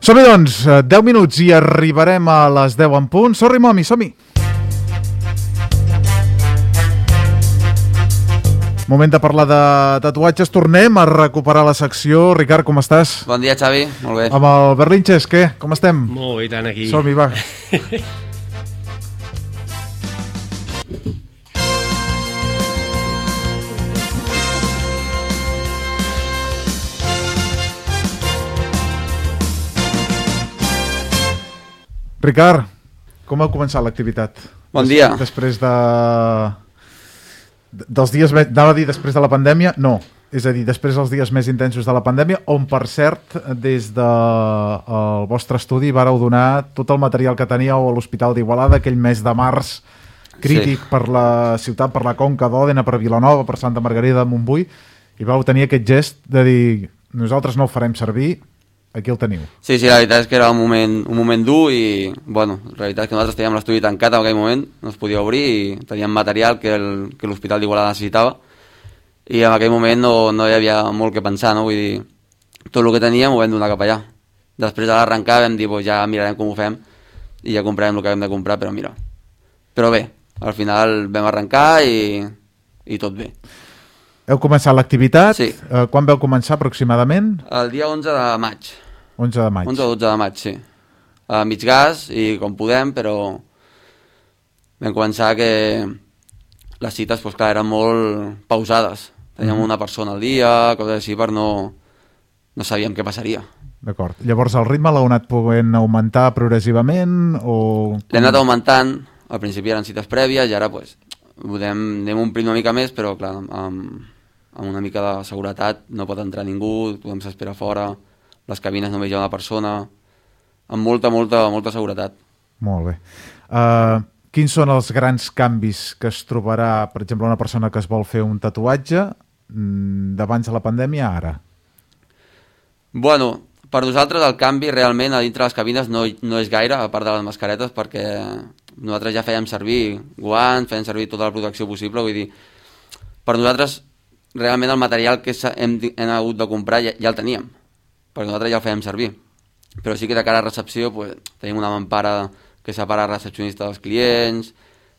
Som-hi, doncs, 10 minuts i arribarem a les 10 en punt. Sorry, Momi, som-hi. Moment de parlar de tatuatges. Tornem a recuperar la secció. Ricard, com estàs? Bon dia, Xavi. Molt bé. Amb el Berlinches, què? Com estem? Molt bé, tant aquí. Som-hi, va. Ricard, com ha començat l'activitat? Bon dia. Després dels dies, anava a dir després de la pandèmia, no. És a dir, després dels dies més intensos de la pandèmia, on, per cert, des del vostre estudi vareu donar tot el material que teníeu a l'Hospital d'Igualada, aquell mes de març crític per la ciutat, per la Conca d'Òdena, per Vilanova, per Santa Margarida de Montbui, i vau tenir aquest gest de dir, nosaltres no ho farem servir, aquí el teniu. Sí, la veritat és que era un moment dur i, bueno, la veritat és que nosaltres teníem l'estudi tancat en aquell moment, no es podia obrir i teníem material que l'Hospital d'Igualada necessitava i en aquell moment no hi havia molt que pensar, no? Vull dir, tot el que teníem ho vam donar cap allà. Després de l'arrencar vam dir, ja mirarem com ho fem i ja comprarem el que hem de comprar, però mira. Però bé, al final vam arrencar i tot bé. Heu començat l'activitat? Sí. Quan vau començar aproximadament? El dia 11 de maig. 11 de maig. 11 o 12 de maig, sí. A mig gas i com podem, però vam començar que les cites, doncs clar, eren molt pausades. Teníem una persona al dia, coses així, per no sabíem què passaria. D'acord. Llavors el ritme l'heu anat podent augmentar progressivament o... L'hem anat augmentant, al principi eren cites prèvies i ara doncs anem omplint una mica més, però clar, amb una mica de seguretat no pot entrar ningú, tothom s'espera fora, les cabines només hi ha una persona, amb molta seguretat. Molt bé. Quins són els grans canvis que es trobarà, per exemple, una persona que es vol fer un tatuatge d'abans de la pandèmia a ara? Bueno, per nosaltres el canvi realment a dintre les cabines no és gaire, a part de les mascaretes, perquè nosaltres ja fèiem servir guants, fèiem servir tota la protecció possible, vull dir, per nosaltres realment el material que hem hagut de comprar ja el teníem, perquè nosaltres ja el fèiem servir, però sí que de cara a recepció pues, tenim una mampara que separa el recepcionista dels clients,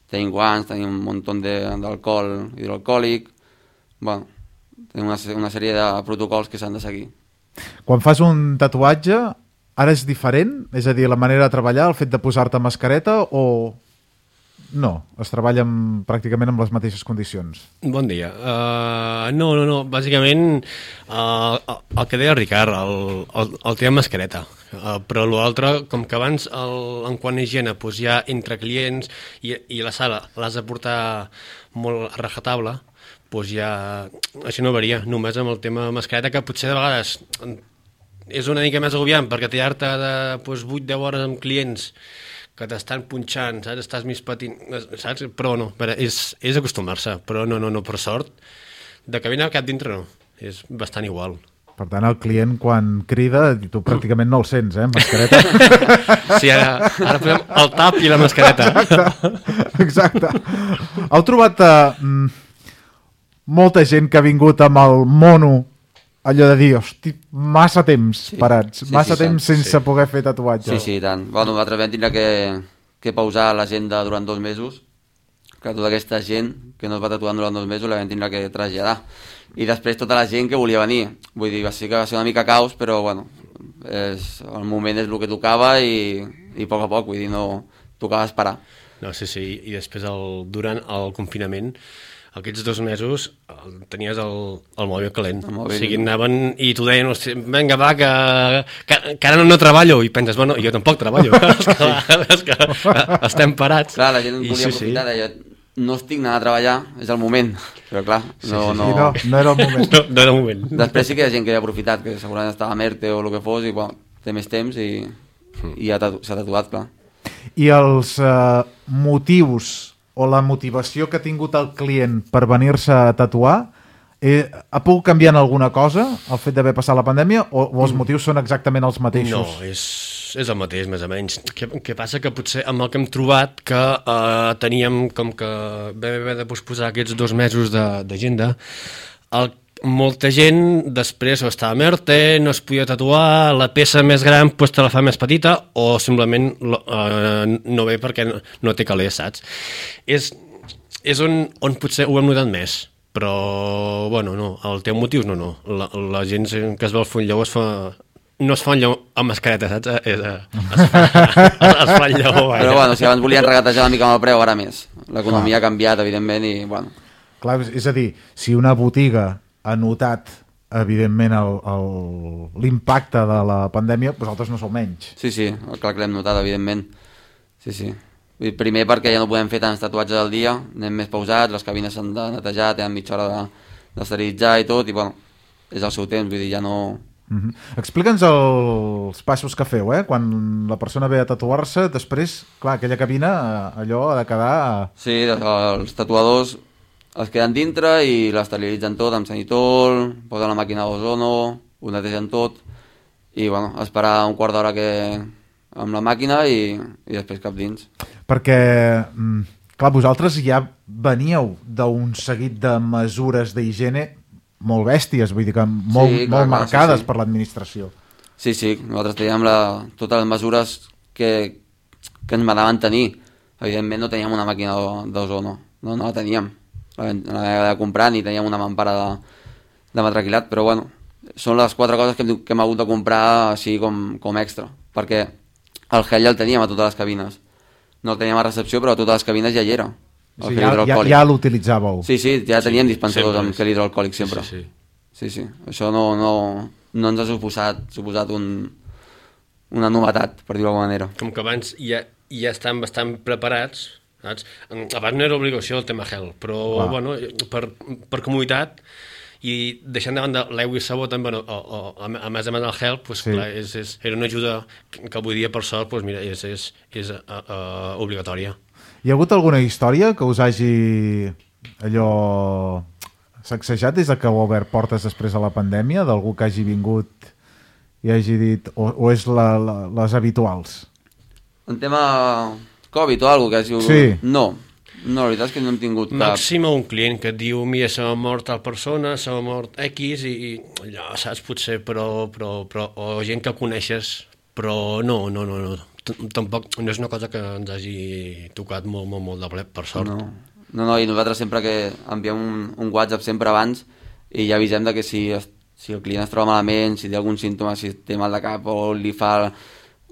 tenim guants, tenim un munt d'alcohol hidroalcohòlic, bueno, tenim una sèrie de protocols que s'han de seguir. Quan fas un tatuatge, ara és diferent? És a dir, la manera de treballar, el fet de posar-te mascareta o... No, es treballa pràcticament amb les mateixes condicions. Bon dia. No. Bàsicament, el que deia el Ricard, el tema mascareta. Però l'altre, com que abans, en quant a higiene, doncs ja entre clients i la sala l'has de portar molt a rajatabla, doncs ja això no varia. Només amb el tema mascareta, que potser de vegades és una mica més agobiant, perquè tallar-te de 8-10 hores amb clients que t'estan punxant, saps? Estàs més patint, saps? Però no, és acostumar-se, però no, per sort, de cabina cap dintre no, és bastant igual. Per tant, el client quan crida, tu pràcticament no el sents, mascareta. Sí, ara posem el tap i la mascareta. Exacte. Heu trobat molta gent que ha vingut amb el mono, allò de dir, hosti, massa temps parats, massa temps sense poder fer tatuatge. Sí, tant. Bueno, nosaltres vam tindre que pausar l'agenda durant 2 mesos, que tota aquesta gent que no es va tatuar durant 2 mesos la vam tindre que traslladar. I després tota la gent que volia venir. Vull dir, sí que va ser una mica caos, però bueno, el moment és el que tocava i a poc, vull dir, no tocava esperar. No, sí, i després durant el confinament, aquests 2 mesos tenies el mòbil calent. O sigui, anaven i t'ho deien, vinga, va, que ara no treballo. I penses, bueno, jo tampoc treballo. És que estem parats. Clar, la gent volia aprofitar, deia, no estic anant a treballar, és el moment. Però clar, no era el moment. No era el moment. Després sí que hi ha gent que ha aprofitat, que segurament estava a Merte o el que fos, i bueno, té més temps i s'ha tatuat, clar. I els motius o la motivació que ha tingut el client per venir-se a tatuar, ha pogut canviar en alguna cosa el fet d'haver passat la pandèmia o els motius són exactament els mateixos? No, és el mateix, més o menys. Què passa? Que potser amb el que hem trobat que teníem com que vam haver de posposar aquests 2 mesos d'agenda, molta gent després o estava merte, no es podia tatuar, la peça més gran pues, te la fa més petita o simplement no ve perquè no té calés, saps? És on potser ho hem notat més, però bueno, no, el teu motius no. La gent que es veu el full lleó no es fa un lleó amb mascareta, saps? Es fa el lleó. Però bueno, si abans volien regatejar una mica amb el preu, ara més. L'economia ha canviat, evidentment, i bueno. Clar, és a dir, si una botiga ha notat, evidentment, l'impacte de la pandèmia, vosaltres no sou menys. Sí, clar que l'hem notat, evidentment. Sí. Primer perquè ja no podem fer tants tatuatges al dia, anem més pausats, les cabines s'han de netejar, tenen mitja hora d'esterilitzar i tot, i bueno, és el seu temps, vull dir, ja no... Explica'ns els passos que feu, quan la persona ve a tatuar-se, després, clar, aquella cabina, allò ha de quedar... Sí, els tatuadors es queden dintre i l'esterilitzen tot amb sanitol, posen la màquina d'ozono, ho netegen tot i bueno, esperar un quart d'hora amb la màquina i després cap dins. Perquè, clar, vosaltres ja veníeu d'un seguit de mesures d'higiene molt bèsties, vull dir que molt marcades per l'administració. Sí, nosaltres teníem totes les mesures que ens manaven tenir. Evidentment no teníem una màquina d'ozono, no la teníem. La de comprar ni teníem una mampara de matraquilat, però bueno, són les 4 coses que hem hagut de comprar així com extra, perquè el gel ja el teníem a totes les cabines, no el teníem a recepció, però a totes les cabines ja hi era. O sigui, ja l'utilitzàveu. Sí, ja teníem dispensadors amb gel hidroalcohòlic sempre. Sí. Això no ens ha suposat una novetat, per dir-ho d'alguna manera. Com que abans ja estan bastant preparats, saps? Abans no era obligació el tema gel, però bueno, per comoditat i deixant de banda l'aigua i sabó també, a més del gel, pues, clar, era una ajuda que avui dia per sort pues, mira, és obligatòria. Hi ha hagut alguna història que us hagi sacsejat des que heu obert portes després de la pandèmia, d'algú que hagi vingut i hagi dit, o és les habituals? En tema Covid o alguna cosa que hagi... Sí. No, la veritat és que no hem tingut cap... Màxim un client que et diu, mira, se m'ha mort tal persona, se m'ha mort X i allò, saps, potser, però o gent que coneixes, però no. Tampoc no és una cosa que ens hagi tocat molt de ple, per sort. No, i nosaltres sempre que enviem un WhatsApp sempre abans i ja avisem de que si el client es troba malament, si té algun símptoma, si té mal de cap o li fa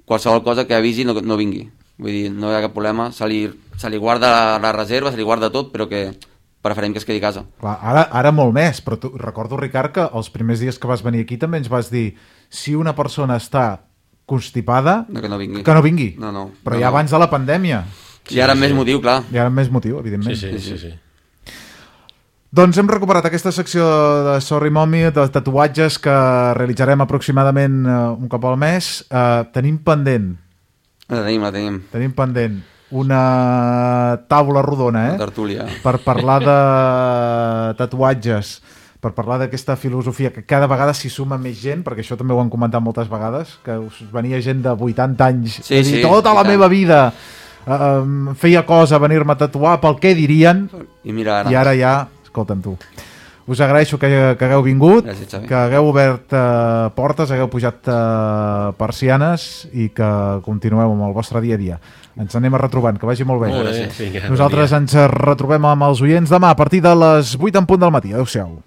qualsevol cosa que avisi no vingui. Vull dir, no hi ha cap problema, se li guarda la reserva, se li guarda tot, però que preferim que es quedi a casa. Clar, ara molt més, però recordo, Ricard, que els primers dies que vas venir aquí també ens vas dir si una persona està constipada, que no vingui. No. Però ja abans de la pandèmia. I ara amb més motiu, clar. I ara amb més motiu, evidentment. Sí. Doncs hem recuperat aquesta secció de Sorry Mommy, de tatuatges que realitzarem aproximadament un cop al mes. Tenim pendent. La tenim. Tenim pendent una taula rodona, una tertúlia, per parlar de tatuatges, per parlar d'aquesta filosofia que cada vegada s'hi suma més gent, perquè això també ho han comentat moltes vegades, que us venia gent de 80 anys, tota la meva vida feia cosa venir-me a tatuar pel què dirien, i ara ja, escolta'm tu. Us agraeixo que hagueu vingut, que hagueu obert portes, hagueu pujat persianes i que continueu amb el vostre dia a dia. Ens anem retrobant, que vagi molt bé. Molt bé. Nosaltres ens retrobem amb els oients demà a partir de les 8 en punt del matí. Adéu-siau.